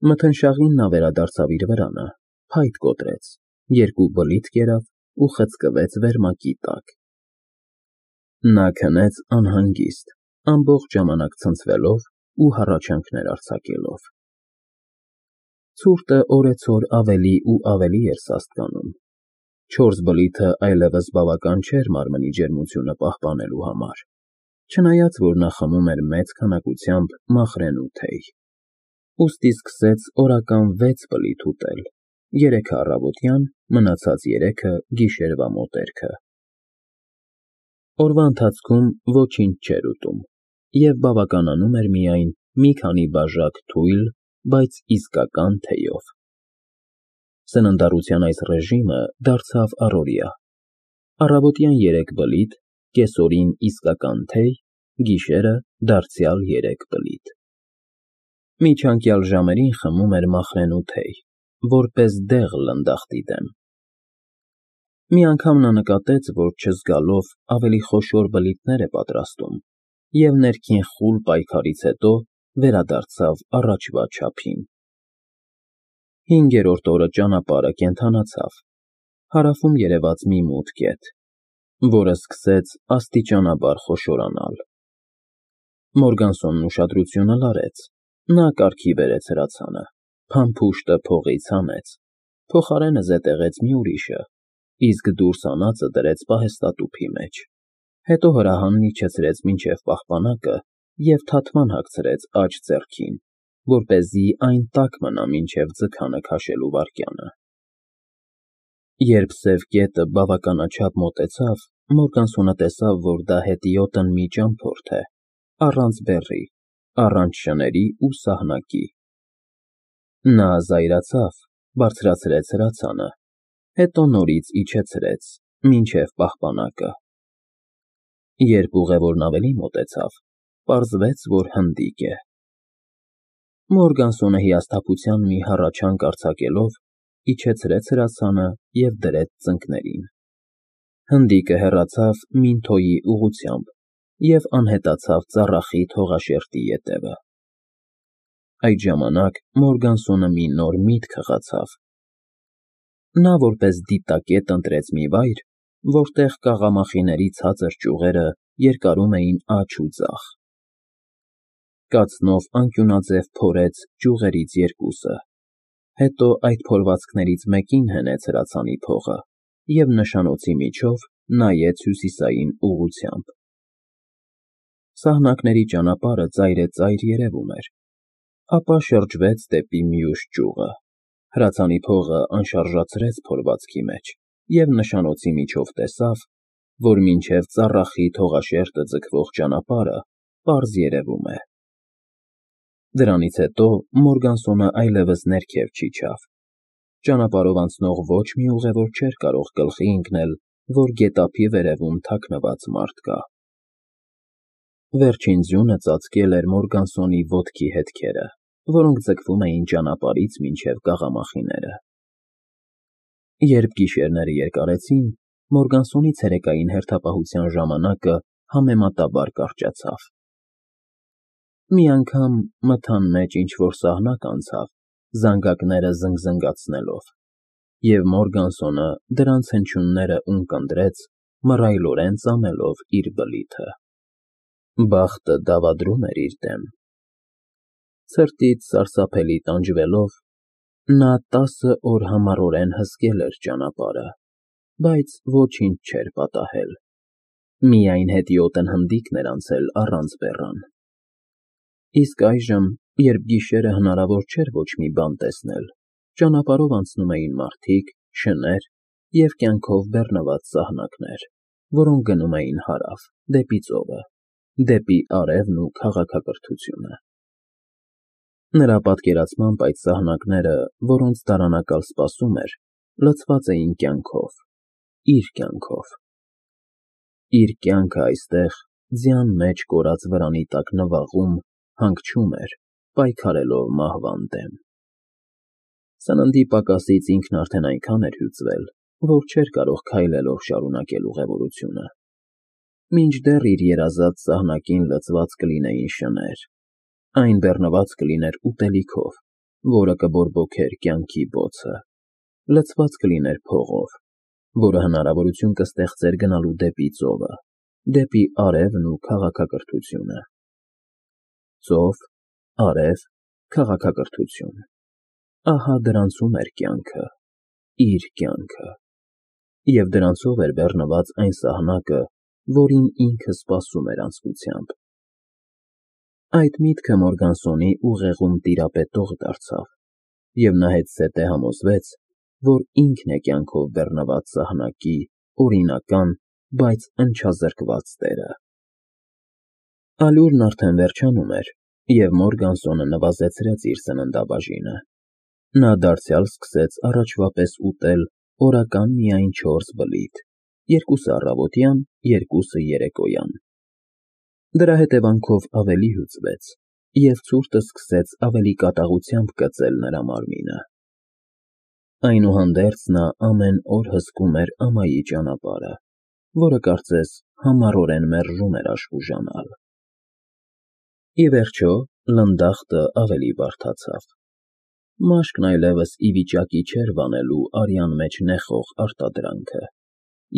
Մթնշաղին նա վերադարձավ իր վրանը, փայտ կոտրեց, երկու բլիթ կերավ ու խցկվեց վերմակի տակ։ Նա քնեց անհանգիստ, ամբողջ ժամանակ ցնցվելով ու հառաչանքներ արձակելով։ Ցուրտը օրեցօր ավելի ու ավելի էր սաստկանում։ 4 բլիթը այլևս բավական չէր մարմնի ջերմությունը պահպանելու համար, չնայած որ նա խմում էր մեծ քանակությամբ մախրենու թեյ։ Ուստի սկսեց օրական 6 բլիթ ուտել, 3-ը առավոտյան, մնացած 3-ը գիշերվա մոտերքը։ Օրվա ընթացքում ոչինչ չէր ուտում և բավականանում էր միայն մի քանի բաժակ թույլ, բայց իսկական թեյով։ Սննդառության այս ռեժիմը դարձավ առօրյա։ Առավոտյան 3 բլիթ, կեսօրին իսկական թեյ, գիշերը դարձյալ 3 բլիթ։ Միջանկյալ ժամերին խմում էր մախրենու թեյ, որպես դեղ լնդախտի դեմ։ Մի անգամ նա նկատեց, որ չզգալով ավելի խոշոր բլիթներ է պատրաստում և ներքին խուլ պայքարից հետո վերադարձավ առաջվա չափին։ 5-րդ օրը ճանապարհը կենդանացավ, հարավում երևաց մի մութ կետ, որը սկսեց աստիճանաբար խոշորանալ։ Մորգանսոնն ուշադրությունը լարեց, նա կարգի բերեց հրացանը, փամփուշտը փողից հանեց, փոխարենը զետեղեց մի ուրիշը, իսկ դուրս հանածը դրեց պահեստատուփի մեջ, հետո հրահանն իջեցրեց մինչև պահպանակը և թաթման հագցրեց աջ ձեռքին, որպեսզի այն տաք մնա մինչև ձգանը քաշելու վայրկյանը։ Երբ սև կետը բավականաչափ մոտեցավ, Մորգանսոնը տեսավ, որ դա հետիոտն մի ճամփորդ է, առանց բեռի, առանց շների ու սահնակի։ Նա զայրացավ, բարձրացրեց հրացանը, հետո նորից իջեցրեց, մինչև պահպանակը։ Երբ ուղևորն ավելի մոտեցավ, պարզվեց, որ հնդիկ է։ Մորգանսոնը հիասթափության մի հառաչանք արձակելով իջեցրեց հրացանը և դրեց ծնկներին։ Հնդիկը հեռացավ Մինթոյի ուղղությամբ և անհետացավ ծառախիտ հողաշերտի ետևը։ Այդ ժամանակ Մորգանսոնը մի նոր միտք հղացավ։ Նա որպես դիտակետ ընտրեց մի վայր, որտեղ կաղամախիների ցածր ճյուղերը երկարում էին աջ ու ձախ։ Կացնով անկյունաձև փորեց ճյուղերից երկուսը, հետո այդ փորվածքներից մեկին հենեց հրացանի փողը և նշանոցի միջով նայեց հյուսիսային ուղղությամբ։ Սահնակների ճանապարհը ծայրեծայր երևում էր, ապա շրջվեց դեպի մյուս ճյուղը, հրացանի փողը անշարժացրեց փորվածքի մեջ և նշանոցի միջով տեսավ, որ մինչև ծառախիտ հողաշերտը ձգվող ճանապարհը պարզ երևում է։ Դրանից հետո Մորգանսոնը այլևս ներքև չիջավ։ Ճանապարհով անցնող ոչ մի ուղևոր չէր կարող գլխի ընկնել, որ գետափի վերևում թաքնված մարդ կա։ Վերջին ձյունը ծածկել էր Մորգանսոնի ոտքի հետքերը, որոնք ձգվում էին ճանապարհից մինչև կաղամախիները։ Երբ գիշերները երկարեցին, Մորգանսոնի ցերեկային հերթապահության ժամանակը համեմատաբար կարճացավ։ Մի անգամ մթան մեջ ինչ-որ սահնակ անցավ, զանգակները զնգզնգացնելով, և Մորգանսոնը դրանց հնչյունները ունկնդրեց, մռայլորեն ծամելով իր բլիթը։ Բախտը դավադրում էր իր դեմ։ Ցրտից սարսափելի տանջվելով, նա 10 օր համառորեն հսկել էր ճանապարհը, բայց ոչինչ չէր պատահել։ Միայն հետիոտն հնդիկն էր անցել առանց բեռան։ Իսկ այժմ, երբ գիշերը հնարավոր չէր ոչ մի բան տեսնել, ճանապարհով անցնում էին մարդիկ, շներ և կյանքով բեռնված սահնակներ, որոնք գնում էին հարավ, դեպի ծովը, դեպի արևն ու քաղաքակրթությունը։ Նրա պատկերացմամբ այդ սահնակները, որոնց դարանակալ սպասում էր, լցված էին կյանքով, իր կյանքով։ Իր կյանքը այստեղ, ձյան մեջ կորած վրանի տակ նվաղում, հանգչում էր, պայքարելով մահվան դեմ։ Սննդի պակասից ինքն արդեն այնքան էր հյուծվել, որ չէր կարող քայլելով շարունակել ուղևորությունը։ Մինչդեռ իր երազած սահնակին լցված կլինեին շներ, այն բեռնված կլիներ ուտելիքով, որը կբորբոքեր կյանքի բոցը, լցված կլիներ փողով, որը հնարավորություն կստեղծեր գնալու դեպի ծովը, դեպի արևն ու քաղաքակրթությունը։ Ծով, արև, քաղաքակրթություն։ Ահա դրանցում էր կյանքը, իր կյանքը, և դրանցով էր բեռնված այն սահնակը, որին ինքը սպասում էր անձկությամբ։ Այդ միտքը Մորգանսոնի ուղեղում տիրապետող դարձավ, և նա հետզհետե համոզվեց, որ ինքն է կյանքով բեռնված սահնակի օրինական, բայց ընչազրկված տերը։ Ալյուրն արդեն վերջանում էր, և Մորգանսոնը նվազեցրեց իր սննդաբաժինը։ Նա դարձյալ սկսեց առաջվա պես ուտել օրական միայն 4 բլիթ, 2-ը առավոտյան, 2-ը երեկոյան։ Դրա հետևանքով ավելի հյուծվեց, և ցուրտը սկսեց ավելի կատաղությամբ կծել նրա մարմինը։ Այնուհանդերձ նա ամեն օր հսկում էր ամայի ճանապարհը, որը կարծես համառորեն մերժում էր աշխուժանալ։ Ի վերջո, լնդախտը ավելի բարդացավ։ Մաշկն այլևս ի վիճակի չէր վանելու արյան մեջ նեխող արտադրանքը,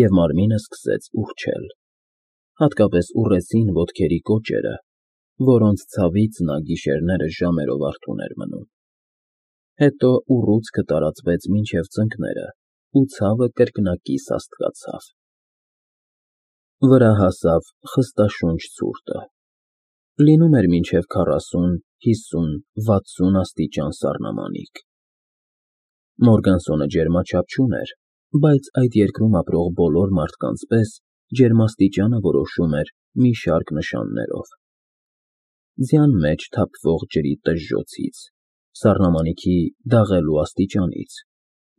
և մարմինը սկսեց ուռչել, հատկապես ուռեցին ոտքերի կոճերը, որոնց ցավից նա գիշերները ժամերով արթուն էր մնում։ Հետո ուռուցքը տարածվեց մինչև ծնկները, ու ցավը կրկնակի սաստկացավ։ Վրա հասավ խստաշունչ ցուրտը։ Լինում էր մինչև 40, 50, 60 աստիճան սառնամանիք։ Մորգանսոնը ջերմաչափ չուներ, բայց այդ երկրում ապրող բոլոր մարդկանց պես ջերմաստիճանը որոշում էր մի շարք նշաններով. ձյան մեջ թափվող ջրի տժժոցից, սառնամանիքի դաղելու աստիճանից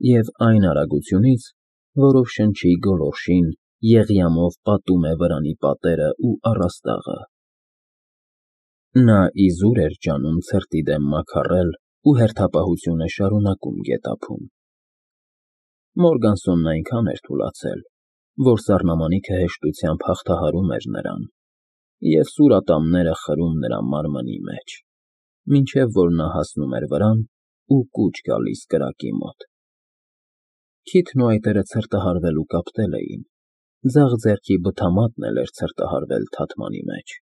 և այն արագությունից, որով շնչի գոլորշին եղյամով պատում է վրանի պատերը ու առաստաղը։ Նա իզուր էր ջանում ցրտի դեմ մաքառել ու հերթապահությունը շարունակում գետափում։ Մորգանսոնն այնքան էր թուլացել, որ սառնամանիքը հեշտությամբ հաղթահարում էր նրան, և սուր ատամները խրում նրա մարմնի մեջ, մինչև որ նա հասնում էր վրան ու կուչ գալիս կրակի մոտ։ Քիթն ու այտերը ցրտահարվել ու կապտել էին, ձախ ձեռքի բթամատն էլ էր ցրտահարվել թաթմանի մեջ։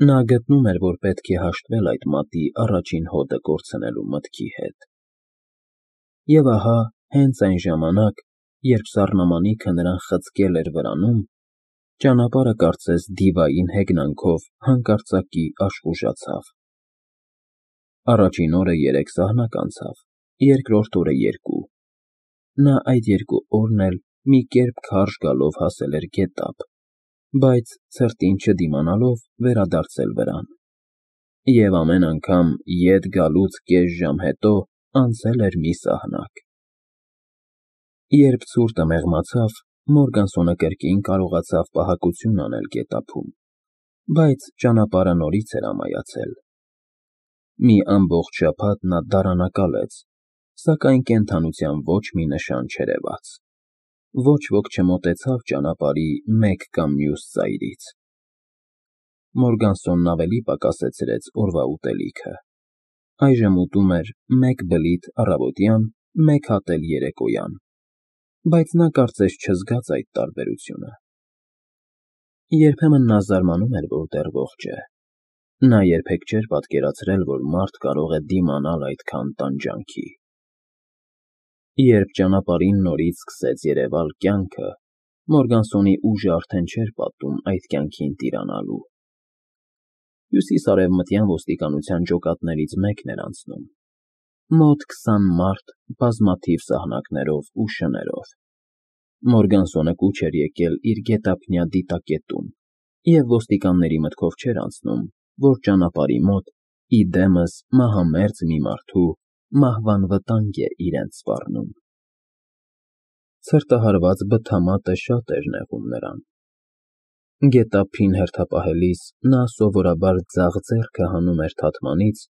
Նա գտնում էր, որ պետք է հաշտվել այդ մատի առաջին հոդը կորցնելու մտքի հետ։ Եվ ահա, հենց այն ժամանակ, երբ սառնամանիքը նրան խցկել էր վրանում, ճանապարհը կարծես դիվային հեգնանքով հանկարծակի աշխուժացավ։ Առաջին օրը 3 սահնակ անցավ, երկրորդ օրը 2։ Նա այդ 2 օրն էլ մի կերպ քարշ գալով հասել էր գետափ, բայց ցրտին չդիմանալով վերադարձել վրան։ Եվ ամեն անգամ ետ գալուց կես ժամ հետո անցել էր մի սահնակ։ Երբ ցուրտը մեղմացավ, Մորգանսոնը կրկին կարողացավ պահակություն անել գետափում, բայց ճանապարհը նորից էր ամայացել։ Մի ամբողջ շաբաթ նա դարանակալեց, սակայն կենդանության ոչ մի նշան չերևաց։ Ոչ ոք չմոտեցավ ճանապարհի մեկ կամ մյուս ծայրից։ Մորգանսոնն ավելի պակասեցրեց օրվա ուտելիքը։ Այժմ ուտում էր 1 բլիթ առավոտյան, 1 հատ էլ երեկոյան, բայց նա կարծես չզգաց այդ տարբերությունը։ Երբեմն նա զարմանում էր, որ դեռ ողջ է։ Նա երբեք չէր պատկերացրել, որ մարդ կարող է դիմանալ այդքան տանջանքի։ Երբ ճանապարհին նորից սկսեց երևալ կյանքը, Մորգանսոնի ուժը արդեն չէր պատում այդ կյանքին տիրանալու։ Հյուսիսարևմտյան ոստիկանության ջոկատներից մեկն էր անցնում։ Մոտ 20 մարդ բազմաթիվ սահնակներով ու շներով։ Մորգանսոնը կուչ էր եկել իր գետափնյա դիտակետում, և ոստիկանների մտքով չէր անցնում, որ ճանապարհի մոտ, ի դեմս մահամերձ մի մարդու մահվան վտանգ է իրենց սպառնում։ Ցրտահարված բթամատը շատ էր նեղում նրան։ Գետափին հերթապահելիս նա սովորաբար ձախ ձեռքը հանում էր թաթմանից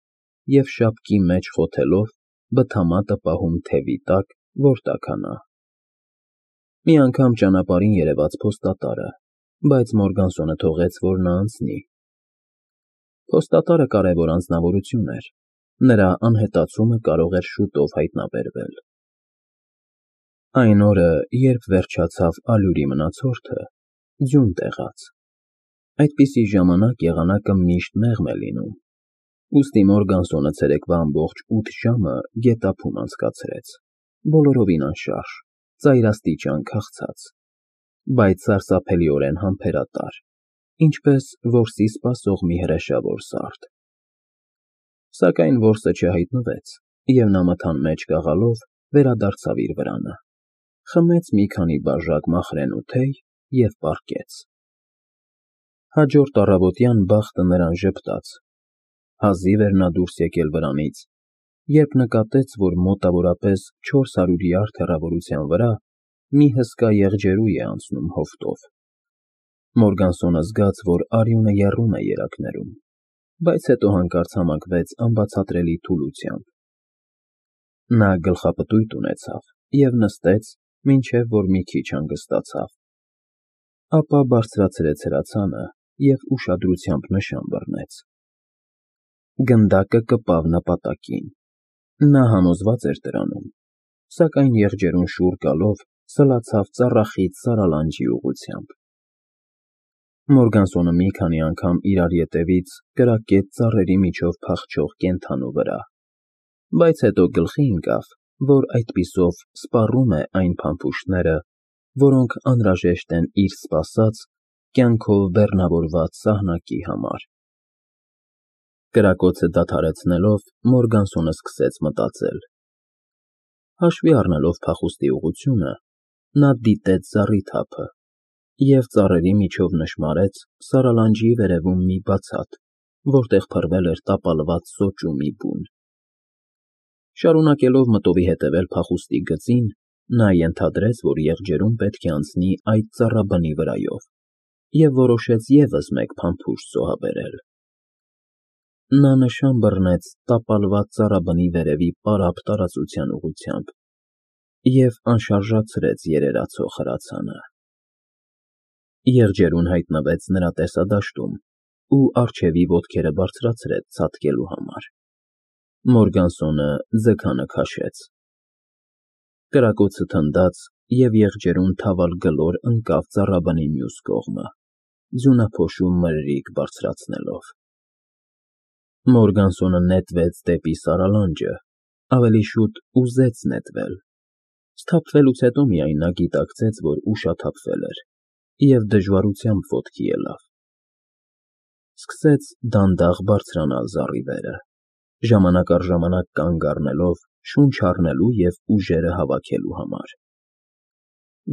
և շապկի մեջ խոթելով բթամատը պահում թևի տակ, որ տաքանա։ Մի անգամ ճանապարհին երևաց փոստատարը, բայց Մորգանսոնը թողեց, որ նա անցնի։ Փոստատարը կարևոր անձնավորություն էր, Նրա անհետացումը կարող էր շուտով հայտնաբերվել։ Այն օրը, երբ վերջացավ ալյուրի մնացորդը, ձյուն տեղաց։ Այդպիսի ժամանակ եղանակը միշտ մեղմ է լինում, ուստի Մորգանսոնը ցերեկվա ամբողջ 8 ժամը գետափում անցկացրեց, բոլորովին անշարժ, ծայրաստիճան քաղցած, բայց սարսափելիորեն համբերատար, ինչպես որսի սպասող մի հրեշավոր սարդ։ Սակայն որսը չհայտնվեց, և նա մթան մեջ կաղալով վերադարձավ իր վրանը, խմեց մի քանի բաժակ մախրենու թեյ և պառկեց։ Հաջորդ առավոտյան բախտը նրան ժպտաց։ Հազիվ էր նա դուրս եկել վրանից, երբ նկատեց, որ մոտավորապես 400 յարդ հեռավորության վրա մի հսկա եղջերու է անցնում հովտով։ Մորգանսոնը զգաց, որ արյունը եռում է երակներում, բայց հետո հանկարծ համակվեց անբացատրելի թուլությամբ։ Նա գլխապտույտ ունեցավ և նստեց, մինչև որ մի քիչ հանգստացավ։ Ապա բարձրացրեց հրացանը և ուշադրությամբ նշան բռնեց։ Գնդակը կպավ նպատակին։ Նա համոզված էր դրանում, սակայն եղջերուն շուռ գալով սլացավ ծառախիտ սարալանջի ուղղությամբ։ Մորգանսոնը մի քանի անգամ իրար ետևից կրակեց ծառերի միջով փախչող կենդանու վրա, բայց հետո գլխի ընկավ, որ այդպիսով սպառում է այն փամփուշտները, որոնք անհրաժեշտ են իր սպասած, կյանքով բեռնավորված սահնակի համար։ Կրակոցը դադարեցնելով, Մորգանսոնը սկսեց մտածել։ Հաշվի առնելով փախուստի ուղղությունը, նա դիտեց զառիթափը և ծառերի միջով նշմարեց սարալանջի վերևում մի բացատ, որտեղ փռվել էր տապալված սոճու մի բուն։ Շարունակելով մտովի հետևել փախուստի գծին, նա ենթադրեց, որ եղջերուն պետք է անցնի այդ ծառաբնի վրայով, և որոշեց ևս մեկ փամփուշտ զոհաբերել։ Նա նշան բռնեց տապալված ծառաբնի վերևի պարապ տարածության ուղղությամբ և անշարժացրեց երերացող հրացանը։ Եղջերուն հայտնվեց նրա տեսադաշտում ու առջևի ոտքերը բարձրացրեց ցատկելու համար։ Մորգանսոնը ձգանը քաշեց։ Կրակոցը թնդաց, և եղջերուն թավալ գլոր ընկավ ծառաբնի մյուս կողմը, ձյունափոշու մրրիկ բարձրացնելով։ Մորգանսոնը նետվեց դեպի սարալանջը, ավելի շուտ ուզեց նետվել։ Սթափվելուց հետո միայն նա գիտակցեց, որ ուշաթափվել էր, և դժվարությամբ ոտքի ելավ։ Սկսեց դանդաղ բարձրանալ զառիվերը, ժամանակ առ ժամանակ կանգ առնելով շունչ առնելու և ուժերը հավաքելու համար։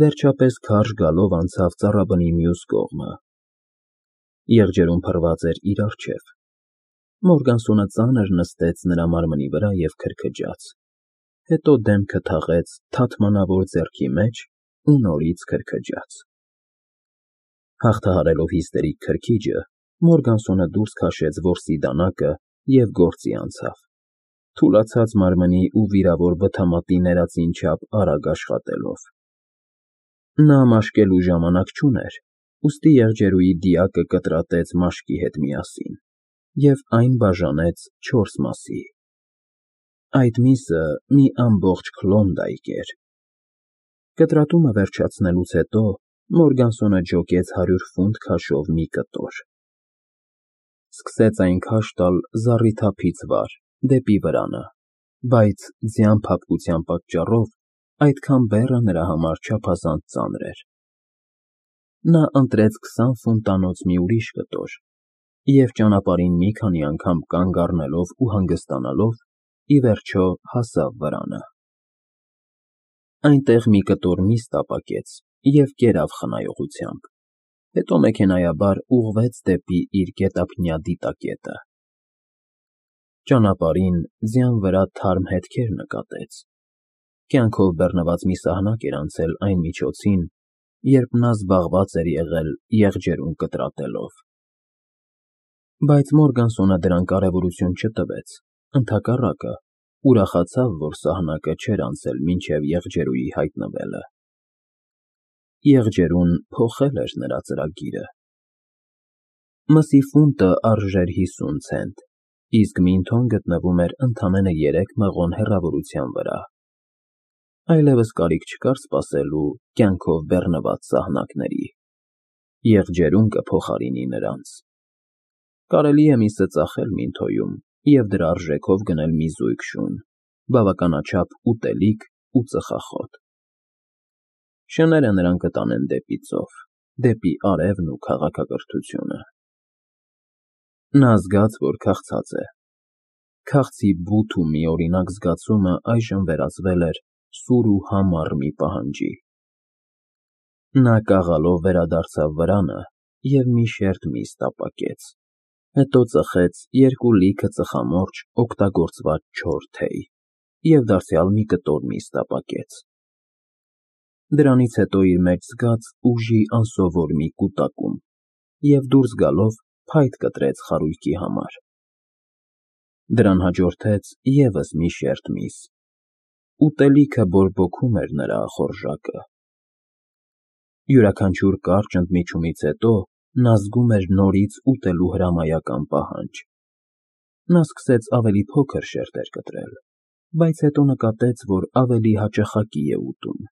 Վերջապես քարշ գալով անցավ ծառաբնի մյուս կողմը։ Եղջերուն փռված էր իր առջև։ Մորգանսոնը ծանր նստեց նրա մարմնի վրա և քրքջաց, հետո դեմքը թաղեց թաթմանավոր ձեռքի մեջ ու նորից քրքջաց։ Հաղթահարելով հիստերիկ քրքիջը, Մորգանսոնը դուրս քաշեց որսի դանակը և գործի անցավ, թուլացած մարմնի ու վիրավոր բթամատի ներածին չափ արագ աշխատելով։ Նա մաշկելու ժամանակ չուներ, ուստի եղջերուի դիակը կտրատեց մաշկի հետ միասին, և այն բաժանեց 4 մասի։ Այդ միսը մի ամբողջ Քլոնդայք էր։ Կտրատումը վերջացնելուց հետո Մորգանսոնը ջոկեց 100 ֆունտ քաշով մի կտոր։ Սկսեց այն քաշ տալ զառիթափից վար, դեպի վրանը, բայց ձյան փափկության պատճառով այդքան բեռը նրա համար չափազանց ծանր էր։ Նա ընտրեց 20 ֆունտանոց մի ուրիշ կտոր և ճանապարհին մի քանի անգամ կանգ առնելով ու հանգստանալով, ի վերջո հասավ վրանը։ Այնտեղ մի կտոր միս տապակեց և կերավ խնայողությամբ, հետո մեքենայաբար ուղղվեց դեպի իր գետափնյա դիտակետը։ Ճանապարհին ձյան վրա թարմ հետքեր նկատեց։ Կյանքով բեռնված մի սահնակ էր անցել այն միջոցին, երբ նա զբաղված էր եղել եղջերուն կտրատելով։ Բայց Մորգանսոնը դրան կարևորություն չտվեց, ընդհակառակը, ուրախացավ, որ սահնակը չէր անցել մինչև եղջերուի հայտնվելը։ Եղջերուն փոխել էր նրա ծրագիրը։ Մսի ֆունտը արժեր 50 ցենտ, իսկ Մինթոն գտնվում էր ընդամենը 3 մղոն հեռավորության վրա։ Այլևս կարիք չկար սպասելու կյանքով բեռնված սահնակների։ Եղջերուն կփոխարինի նրանց։ Կարելի է միսը ծախել Մինթոյում և դրա արժեքով գնել մի զույգ շուն, բավականաչափ ուտելիք ու ծխախոտ։ Շները նրան կտանեն դեպի ծով, դեպի արևն ու քաղաքակրթությունը։ Նա զգաց, որ քաղցած է։ Քաղցի բութ ու միօրինակ զգացումը այժմ վերածվել էր սուր ու համառ մի պահանջի։ Նա կաղալով վերադարձավ վրանը և մի շերտ միս տապակեց, հետո ծխեց 2 լիքը ծխամորճ օգտագործված չոր թեյ և դարձյալ մի կտոր միս տապակեց։ Դրանից հետո իր մեջ զգաց ուժի անսովոր մի կուտակում և դուրս գալով փայտ կտրեց խարույկի համար։ Դրան հաջորդեց ևս մի շերտ միս։ Ուտելիքը բորբոքում էր նրա ախորժակը։ Յուրաքանչյուր կարճ ընդմիջումից հետո նա զգում էր նորից ուտելու հրամայական պահանջ։ Նա սկսեց ավելի փոքր շերտեր կտրել, բայց հետո նկատեց, որ ավելի հաճախակի է ուտում։